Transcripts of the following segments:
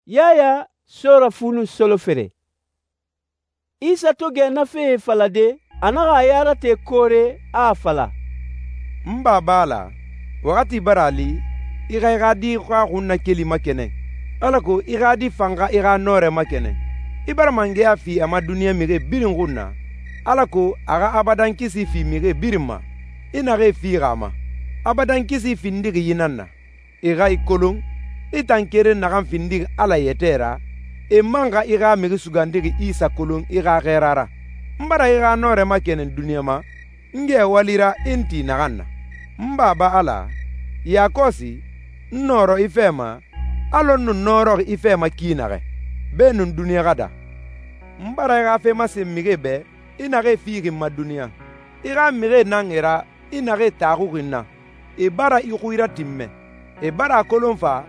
Yaya sora fu nun solofere. Isa to gɛ na fee falade, a naxa a ya rate koore, a a fala, «N Baba Ala, waxati bara a li, i xa i xa Di xa xunnakeli makɛnɛn, alako i xa Di fan xa i xa nɔrɛ makɛnɛn. I bara mangɛya fi a ma duniɲa mixie birin xun na, alako a xa abadankisi fi mixie birin ma, i naxee fixi a ma. Abadankisi findixi yi nan na: I xa i kolon, i tan keren naxan findixi Ala yɛtɛ ra, e man xa i xa Mixi Sugandixi Isa kolon i xa xɛɛra ra. N bara i xa nɔrɛ makɛnɛn duniɲa ma, n gɛ wali ra i n ti naxan na. N Baba Ala, yakɔsi n nɔrɔ i fɛ ma, alɔ n nu nɔrɔxi i fɛ ma ki naxɛ, beenun duniɲa xa daa. N bara i xa fe masen mixie bɛ, i naxee fixi n ma duniɲa. I xa mixie nan e ra, i naxee taxuxi n na. E bara i xui ratinmɛ. E bara a kolon fa,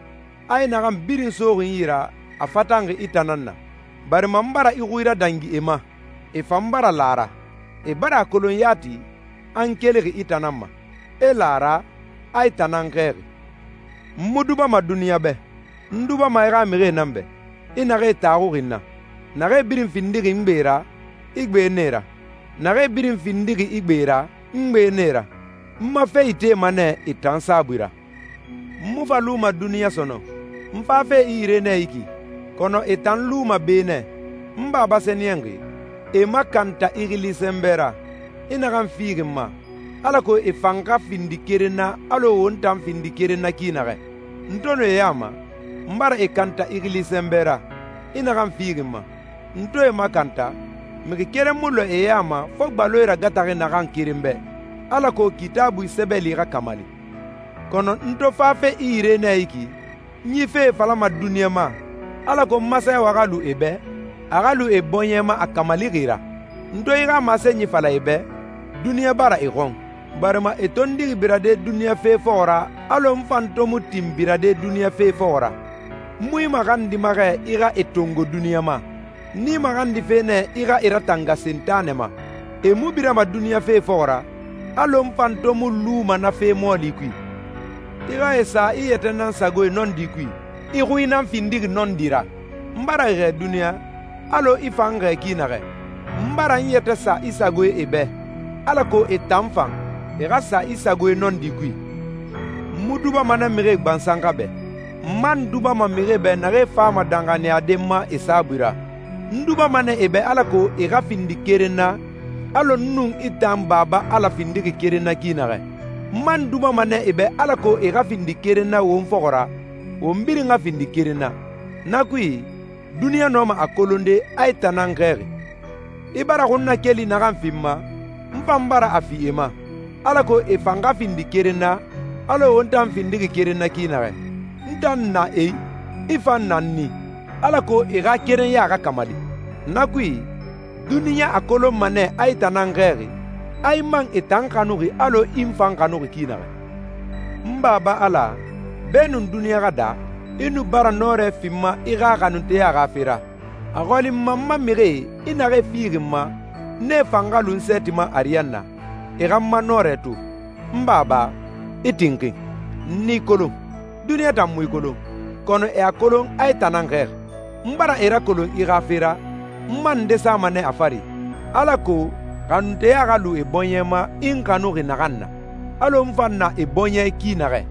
a i naxan birin soxi n yi ra, a fatanxi i tan nan na. Barima n bara i xui radangi e ma, e fan bara la a ra. E bara a kolon yati, a n kelixi i tan nan ma. E la a ra, a i tan nan xɛɛxi. N mu dubama duniɲa bɛ, n dubama i xa mixie nan bɛ, i naxee taxuxi n na. Naxee birin findixi n gbe ra, i gbe nɛ ra. Naxee birin findixi i gbe ra, n gbe nɛ ra. N ma fe itema nɛ e tan saabui ra. N mu fa luma duniɲa sɔnɔn, n fafe i yire nɛ yi ki, kɔnɔ e tan luma be nɛ. N Baba Sɛniyɛnxi, e makanta i xili sɛnbɛ ra, i naxan fixi n ma, alako e fan xa findi keren na alɔ won tan findi keren na ki naxɛ. N to nu e ya ma, n bara e kanta i xili sɛnbɛ ra, i naxan fixi n ma. N to e makanta, mixi keren mu lɔ e ya ma fo gbaloe ragataxi naxan keren bɛ, alako Kitaabui sɛbɛli xa kamali. Kɔnɔ n to fafe i yire nɛ yi ki, n yi fee falama duniɲa ma, alako n masenwa xa lu e bɛ, a xa lu e bɔɲɛ ma a kamalixi ra. N to i xa masenyi fala e bɛ, duniɲa bara e xɔn, barima e tondixi birade duniɲa fe fɔxɔ ra alɔ n fan to mu tin birade duniɲa fe fɔxɔ ra. N mu i maxandima xɛ i xa e tongo duniɲa ma, n'i maxandife nɛ i xa i ratanga Sentanɛ ma. E mu birama duniɲa fe fɔxɔ ra, alɔ n fan to mu luma na fe mɔɔli kui. I xa e sa i yɛtɛ nan sagoe nɔndi kui, i xui nan findixi nɔndi ra. N bara i xɛɛ duniɲa, alɔ i fan xɛɛ ki naxɛ. N bara n yɛtɛ sa i sagoe e bɛ, alako e tan fan, e xa sa i sagoe nɔndi kui. N mu dubama nɛ mixie gbansan xa bɛ. N man dubama mixie bɛ naxee fama danxaniyaden ma e saabui ra. N dubama nɛ e bɛ alako e xa findi keren na, alɔ n nun i tan Baba Ala findixi keren na ki naxɛ. N man dubama nɛ e bɛ alako e xa findi keren na won fɔxɔ ra, won birin xa findi keren na. Na kui, duniɲa nɔma a kolonde a i tan nan xɛɛxi. I bara xunnakeli naxan fi n ma, n fan bara a fi e ma, alako e fan xa findi keren na, alɔ won tan findixi keren na ki naxɛ. N tan na e, i fan na n ni, alako e xa kerenya xa kamali. Na kui, duniɲa a kolonma nɛ a i tan nan xɛɛxi, a i man e tan xanuxi alɔ i n fan xanuxi ki naxɛ. N Baba Ala, beenun duniɲa xa daa, i nu bara nɔrɛ fi n ma i xa xanunteya xa fe ra. A xɔli n ma n ma mixie i naxee fixi n ma, nee fan xa lu n sɛɛti ma ariyanna, e xa n ma nɔrɛ to. N Baba, i tinxin, n n'i kolon. Duniɲa tan mu i kolon, kɔnɔ e a kolon a i tan nan xɛɛxi. N bara e rakolon i xa fe ra, n man n desama nɛ a fari, alako xanunteya xa lu e bɔɲɛ ma i n xanuxi naxan na, alɔ n fan na e bɔɲɛ ki naxɛ.